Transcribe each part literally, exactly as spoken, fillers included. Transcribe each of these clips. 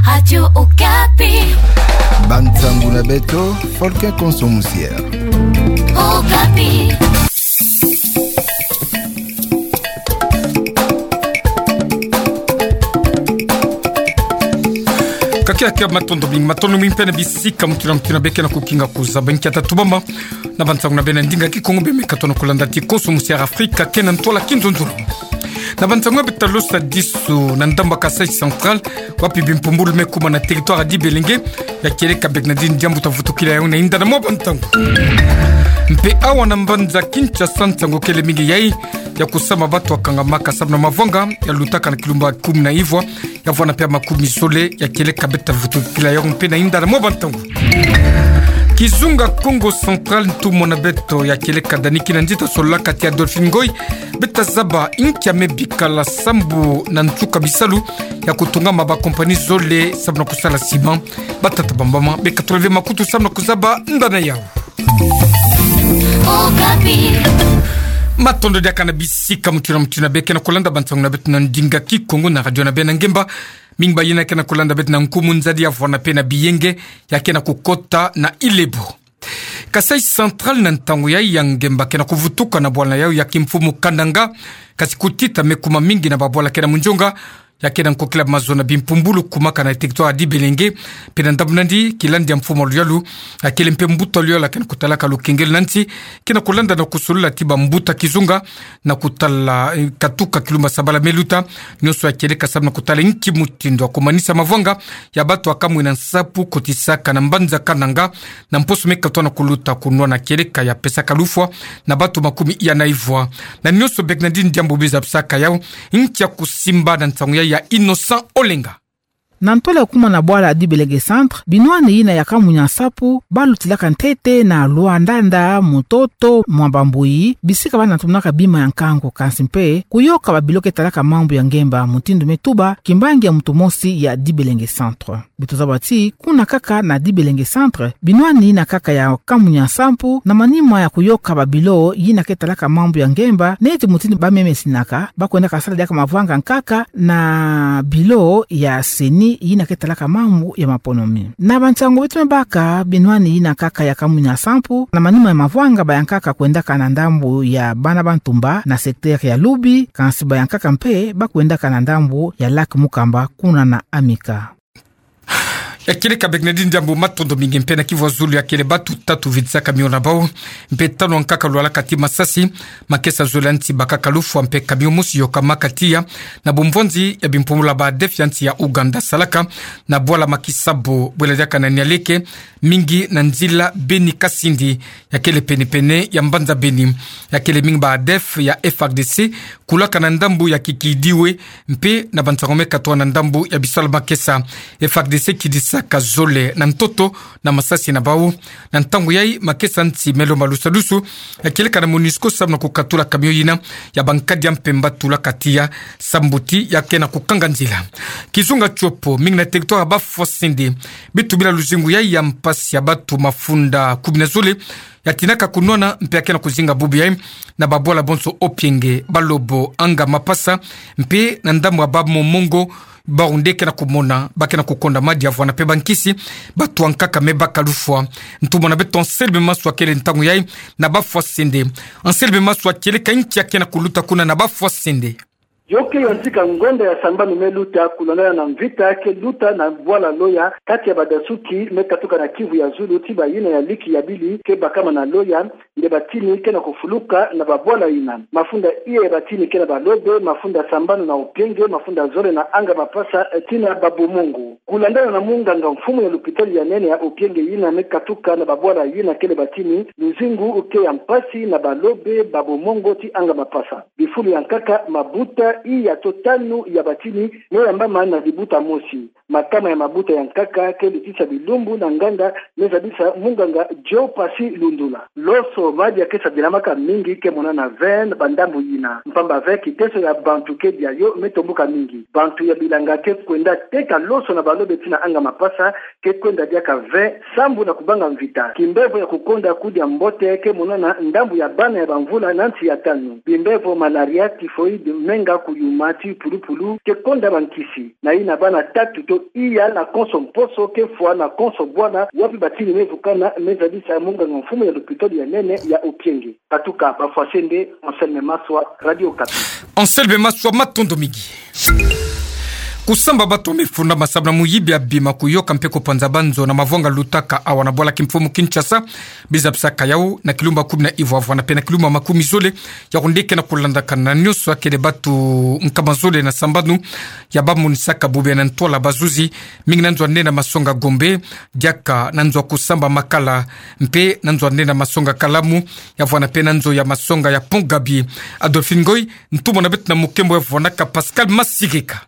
Radio Okapi. Bansango na beto, Folke Konso Musier. Okapi. Kakia kia, matondo mingi, matondo mingi mpe na bisika mutindu na mutindu beke na kukinga kuzaba. Nkia tatu bamba na bansango na beno ya ndinga Kikongo beno me katono kulanda ti Konso Musier Afrika kena ntwala kinzonzolo. Na bansango ya beto ta losa disu na ndambu ya Kasaï Central, wapi bimpumbulu me kuma na territoire ya Dibelenge, ya kieleka Bernardine Diambu ta vutukila yawu na inda na mwa bansango. Mpe awa na mbanza Kinshasa, nsangu kele mingi yayi ya kusama batu ya kangamaka samu na mavwanga ya lutaka na kilumbu kumi na ivwa, ya vwanda mpe ya makumi zole, ya kieleka beto ta vutukila yawu mpe na inda na mwa bansango. Kizunga Kongo Central, ntumwa na beto ya kieleka Dani Kinanzi ta solola kati ya Adolphine Ngoy, beto ta zaba nkia me bikala sambu na nsuka bisalu ya kutungama ba compagnie zole samu na kusala ciment. Batata bambama beka toleve makutu samu na kuzaba ndana yawu. Okapi. Matondo diaka na bisika mutindu na mutindu beke na kulanda bansango na beto na ndinga Kikongo na radio na beno ya ngemba. Mingi bayina ke na kulanda beto na nkumu nzadi ya vwanda mpe na biyenge ya ke na kukota na Ilebo. Kasaï Central, na ntangu yayi ya ngemba ke na kuvutuka na bwala yawu ya kimfumu Kananga, kasi kutita me kuma mingi na babwala ke na munzonga, ya ke na nkokila mazono na bimpumbulu kumaka na territoire ya Dibelenge, mpe na ndambu nandi, kilandi ya mfumu wa luyalu, ya kele mpe mbuta wa luyalu ya ke na kutalaka lukengelo na nsi, ke na kulanda na kusolula ti bambuta kizunga, na kutala, eh, katuka kilumbu ya sabala me luta, nionso ya kieleka samu na kutala nki mutindu ya kumanisa mavwanga ya batu ya kamwina nsapu kotisaka na mbanza Kananga, na mposo me katwa na kuluta kunwana kieleka ya pesaka lufwa na batu makumi iya na ivwa. Na nionso Bernardine Diambu biza bisaka yawu, nkia kusimba na nsangu yayi ya Innocent Olenga. Na ntwala ya kuma na bwala ya Dibelenge Centre, binwani yina ya kamwina nsapu, balutilaka ntete na Luandanda, Mutoto, Mwambambuyi, bisika bana tumunaka bima ya nkangu, kansi mpe kuyoka babilo ke talaka mambu ya ngemba, mutindu me tuba kimbangi ya mutu mosi ya Dibelenge Centre. Beto zaba ti, kuna kaka na Dibelenge Centre, binwani yina kaka ya kamwina nsapu, na manima ya kuyoka babilo yina ke talaka mambu ya ngemba, neti mutindu bamemesinaka, bakwendaka sala diaka mavwanga nkaka na bilo ya CENI yina ke talaka mambu ya maponomi. Na bansangu beto me baka, binwani yina kaka ya kamwina nsapu, na manima ya mavwanga ba yankaka kwendaka na ndambu ya Bana Bantumba, na secteur ya Lubi, kansi ba yankaka mpe bakwendaka na ndambu ya Lac Mukamba, kuna na Amika. Ya kieleka Bernardine Diambu, matondo mingi. Mpe na kivu ya zulu ya kele batu tatu vidisaka miona na bawu, mpe tanu ya nkaka lwalaka ti masasi, makesa zola nti bakaka lufwa, mpe camion mosi yokamaka tiya na bumvwanzi ya bimpumbulu ya ba ADF ya nsi ya Ouganda salaka na bwala Makisabu, bwela diaka na Nialeke, mingi na nzila Beni-Kasindi, ya kele penepene ya mbanza Beni. Ya kele mingi ba ADF ya FARDC kulaka na ndambu ya Kikidiwe, mpe na bansangu me katwa na ndambu ya bisalu makesa. FARDC kidisaka zole na ntoto na masasi na bawu. Na ntangu yayi, makesa nti me lomba lusadusu, ya kieleka na MONUSCO samu na kukatula camion yina ya bankadi ya mpemba tulaka tiya, sambu ti ya ke na kukanga nzila. Kizunga Tshopo, mingi na territoire ya Bafwa-Sende, bitubila luzingu yayi ya mpasi ya batu mafunda kumi na zole ya tinaka kunwana, mpe ya ke na kuzinga bubu yayi na babwala bonso Opienge, Balobo, Anga, Mapasa, mpe na ndambu ya Babomongo, bawu nde ke na kumona, ba ke na kukonda madi ya vwanda mpe bankisi, batu ya nkaka me baka lufwa. Ntumwa na beto Anselme Maswa kele ntangu yayi na Bafwa-Sende. Anselme Maswa, kieleka nki ya ke na kuluta kuna na Bafwa-Sende? Yo ke yantika ngonda ya sambanu me luta, kulandana na mvita ke luta na bwala Loya, kati ya badasuki me katuka na kivu ya zulu ti bayina ya liki ya bili ke bakama na Loya, nde batini ke na kufuluka na babwala yina. Mafunda iya ya batini ke na Balobe, mafunda sambanu na Opienge, mafunda zole na Anga, Mapasa, eh, ti na Babomongo. Kulandana na munganga mfumu ya lupitali ya nene ya Opienge yina me katuka na babwala yina kele batini, luzingu ke ya mpasi na Balobe, Babomongo ti Anga, Mapasa. Bifulu ya nkaka, mabuta iya to tanu ya batini me yambama na libuta mosi. Makama ya mabuta ya nkaka ke lutisa bilumbu na nganga, me zabisa munganga Joe Passy Lundula. Loso madi ya ke sadilamaka mingi ke monana vin na bandambu yina. Mpamba vin, kiteso ya bantu ke dia yo me tombuka mingi. Bantu ya bilanga ke kwenda teka loso na Balobe ti na Anga, Mapasa, ke kwenda diaka vin sambu na kubanga mvita. Kimbevo ya kukonda kudia mbote ke monana ndambu ya bana ya bamvula na nsi ya tanu. Bimbevo malaria, typhoïde, menga, Kuyuma ti pulupulu ke konda bankisi na yina bana tatu to iya na konso mposo ke fwa na konso bwana, wapi batini me vukana me zadisa munganga mfumu ya lopitalo ya nene ya Opienge. Katuka bafwasende, Anselme Maswa, Radio Okapi. Anselme Maswa, matondo mingi. Kusamba batu me funda masabla muyibi ya bima, kuyoka mpe kupanza banzo na mavwanga lutaka awa na bwala kimfumu Kinshasa. Bizabisaka yau na kilumbu kumi na ivwa vwa na pena kilumbu makumi zole. Yau nde kena kulandakana na nyonso akele batu nkama zole na sambanu ya bamonisaka bubu ya na ntwala bazuzi, mingi na nzo ya nene masonga Gombe, diaka na nzo ya kusamba Makala, mpe na nzo ya nene masonga Kalamu, ya vwa na pena nzo ya masonga ya Pont Gaby. Adolphine Ngoy, ntumwa na beto na mukembo ya vwanaka Pascal Masirika.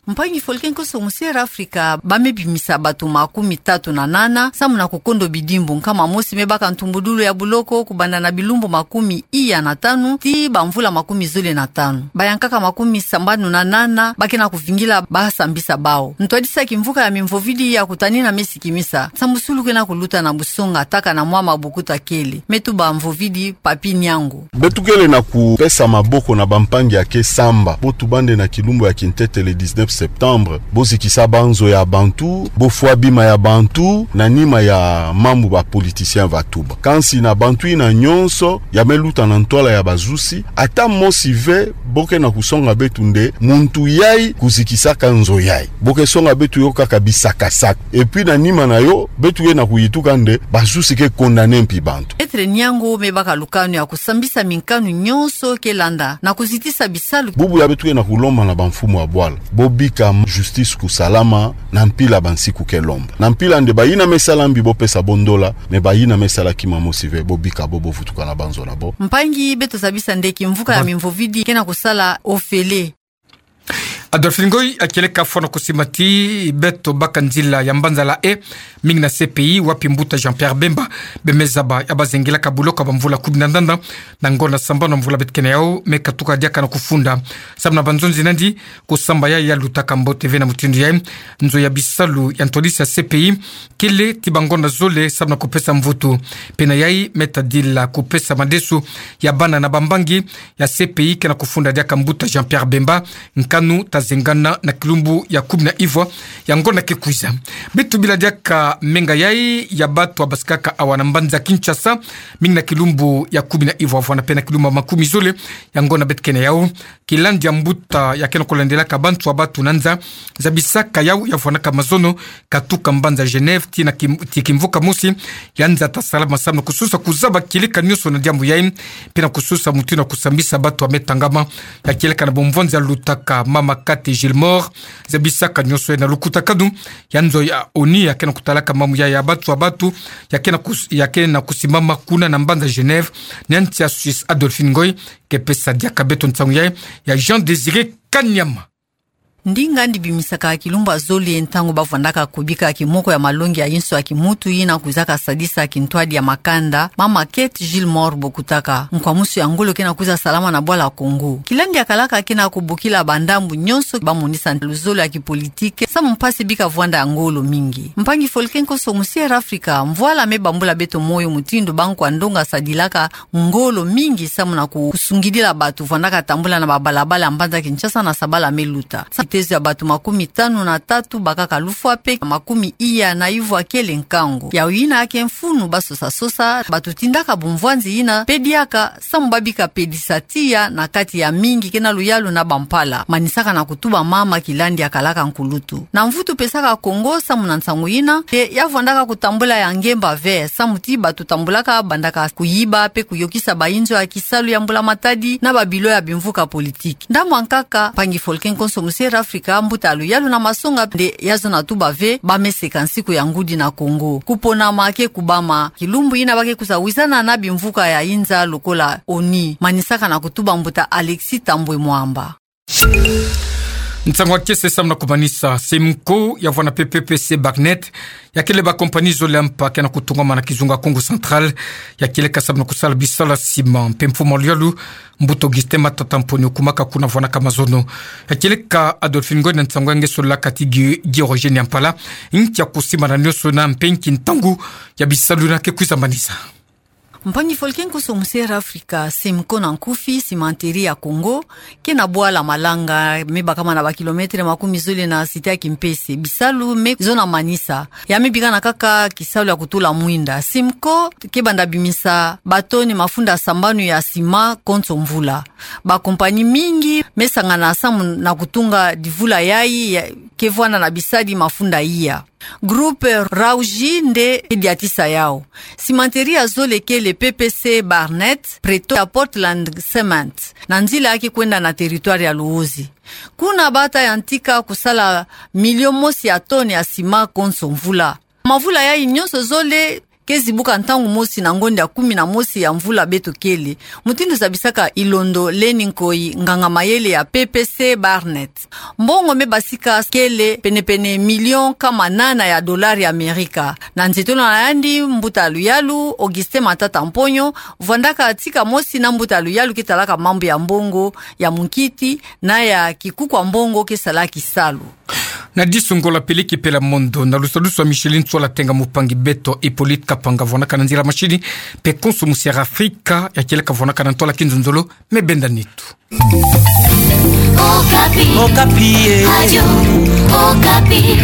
Mpangi Folke, nkoso mu Sierra Afrika, ba me bimisa batu makumi tatu na nana samu na kukondo bidimbu. Nkama mosi me baka ntumbudulu ya buloko kubanda na bilumbu makumi iya na tanu tii bamvula makumi zole na tanu. Bayankaka makumi sambanu na nana ba kena kuvingila basambisa bau. Ntwadisa kimvuka ya mimvovidi ya kutanina me sikimisa nsambusulu kena kuluta na busonga, taka na mwa mabukuta kele. Me tuba mvovidi, Papy Niango. Beto kele na kupesa maboko na bampangi ya ke samba, bo tubande na kilumbu ya kintete le dix-neuf septembre, bo zikisa banzo ya bantu, bo fwa bima ya bantu, na nima ya mambu ba politiciens va tuba. Kansi na bantu yina nyonso ya me luta na ntwala ya bazusi, ata mosi ve bo ke na kusonga beto nde muntu yai kuzikisaka nzo yai. Bo ke songa beto yo kaka bisakasaka. Et puis na nima na yo, beto ke na kuyituka nde bazusi ke condamner mpi bantu. Maître Niango me baka lukanu ya kusambisa minkanu nyonso ke landa na kuzitisa bisalu. Bubu ya beto ke na kulomba na bamfumu ya bwala, bo bika justice kusalama na mpila bansiku ke lomba. Na mpila nde bayina me sala mbi bo pesa bo ndola, mais bayina me sala kima mosi ve, bo bika bo, bo vutuka na banzo na bo. Mpangi, beto zabisa nde kimvuka ya mimvovidi ke na kusala ofele. Adolphine Ngoy, ya kieleka fwana kusimba ti beto baka nzila ya mbanza la haie, mingi na C P I, wapi mbuta Jean-Pierre Bemba be me zaba ya bazengilaka buloko ya bamvula kumi na nana, na ngonda sambanu ya mvula beto kena yau, me katuka diaka na kufunda. Samu na banzonzi nandi, kusamba yai ya lutaka mbote ve na mutindu yai, nzo ya bisalu ya ntwadisi ya C P I kele ti bangonda zole samu na kupesa mvutu. Pena yai me tadila kupesa madesu ya bana na bambangi ya C P I ke na kufunda diaka mbuta Jean-Pierre Bemba, nkanu ta zengana na kilumbu ya kumi na ivwa ya ngonda ke kwiza. Beto bila diaka menga yai ya batu ya basikaka awa na mbanza Kinshasa, mingi na kilumbu ya kumi na ivwa vwa na pena kilumbu makumi zole ya ngonda beto kena yau. Kilandi ya mbuta ya ke na kulandilaka bantu ya batu na nza, zabisaka yau ya vwanaka mazono, katuka mbanza Genève, ti na kim-, ti kimvuka mosi ya nza ta salama samu na kusosa kuzaba kieleka nyonso na diambu yai, mpe na kusosa mutindu ya kusambisa batu ya me tangama. Ya kieleka na bumvwanzi ya lutaka mama Cathy Gilmore, zabisaka nyonso yai na lukutakanu ya nzo ya ONU ya ke na kutalaka mambu ya, ya batu ya batu, ya ke na kus-, ya ke na kusimama kuna na mbanza Genève, na nsi ya Suisse. Adolphine Ngoy ke pesa diaka beto nsangu yai ya Jean Désiré Kanyama. Ndinga ndi bimisaka kilumbu ya zole ntangu bavwandaka kubika kimoko ya malongi ya inso ya kimutu yina kwizaka sadisa kintwadi ya makanda, mama Cathy Gilmore bokutaka. Nkwamusu ya ngolo ke na kwiza salama na bwala Congo. Kilandi ya kalaka ke na kubokila bandambu nyonso bamonisa luzolo ya kipolitike samu mpasi bika vwanda ya ngolo mingi. Mpangi Folke, nkoso mu Sierra Afrika, mvwala me bambula beto moyo mutindu bankwa ndonga sadilaka ngolo mingi samu na ku-, kusungidila batu vwandaka tambula na babalabala ya mbanza Kinshasa na sabala me luta. Sa-, kitezo ya batu makumi tanu na tatu bakaka lufwa mpe makumi iya na ivwa kele nkangu. Yau yina ke mfunu basosasosa, batu tindaka bumvwanzi yina mpe diaka samu babika pedisa tiya na kati ya mingi ke na luyalu na bampala. Manisaka na kutuba mama kilandi ya kalaka nkulutu. Na mvutu pesaka Congo samu na nsangu yina, te ya vwandaka kutambula ya ngemba ve, samu ti batu tambulaka bandaka kuyiba mpe kuyokisa bainzo ya kisalu ya mbula matadi na babilo ya bimvuka politiki. Ndambu ya nkaka, mpangi Folke, nkoso mu Sierra Afrika, mbuta ya luyalu na masonga nde ya zona tuba ve, ba me seka nsiku ya ngudi na Congo. Kuponama ke kubama, kilumbu yina ba ke kwiza wizana na bimvuka ya inza lokola ONU. Manisaka na kutuba mbuta Alexis Thambwe Mwamba. Nsangu ya kiese samu na kumanisa. Semco ya vwa na P P P C Barnet, ya kele ba compagnie zole ya mpa ke na kutungwama na kizunga Kongo Central, ya kieleka samu na kusala bisalu ya ciment. Mpe mfumu ya luyalu, mbuta Augustin Matata Mponyo, kumaka kuna vwanaka mazono. Ya kieleka Adolphine Ngoy na nsangu ya nge solaka ti Guy, Guy Roger Nyampala, nki ya kusimbana nyonso yina mpe nki ntangu ya bisalu yina ke kwiza manisa. Mpangi-folke nkusu musi Air Africa, Simco na nkufi, Cimenterie ya Congo ke na bwala Malanga, me bakama na ba kilometre makumi zole na site ya Kimpese. Bisalu me zo na manisa. Ya me bikana kaka kisalu ya kutula mwinda. Simco ke banda bimisa ba toni mafunda sambanu ya sima konso mvula. Ba kompanyi mingi me sangana samu na kutunga divula yayi ya, ke vwanda na bisadi mafunda iya. Groupe Rauji nde ke diatisa yau. Cimenterie ya zole kele P P C Barnet, Pretoria Portland Cement, na nzila ya ke kwenda na territoire ya Luozi. Kuna bata yantika kusala milio mosi ya toni ya sima konso mvula. Mavula yayi nyonso zole ke zibuka ntangu mosi na ngonda ya kumi na mosi ya mvula beto kele. Mutindu zabisaka Ilondo Leni Nkoi, nganga-mayele ya P P C Barnet. Mbongo me basika kele penepene milio nkama nana ya dolari ya Amerika. Na nzietolo na yandi, mbuta luyalu Augustin Matata Mponyo vwandaka tika mosi na mbuta luyalu ke talaka mambu ya mbongo ya munkiti na ya kikuku ya mbongo ke sala kisalu. Na disungola peliki pela mondo, na lusadusu wa Micheline Tsola Tenga, mupangi beto Hippolyte Kapanga vwanaka na nzila mashini, mpe konso musi Air Africa ya kieleka vwanaka na ntwala kinzonzolo. Me benda nitu. Okapi. Okapi, eh. Radio Okapi.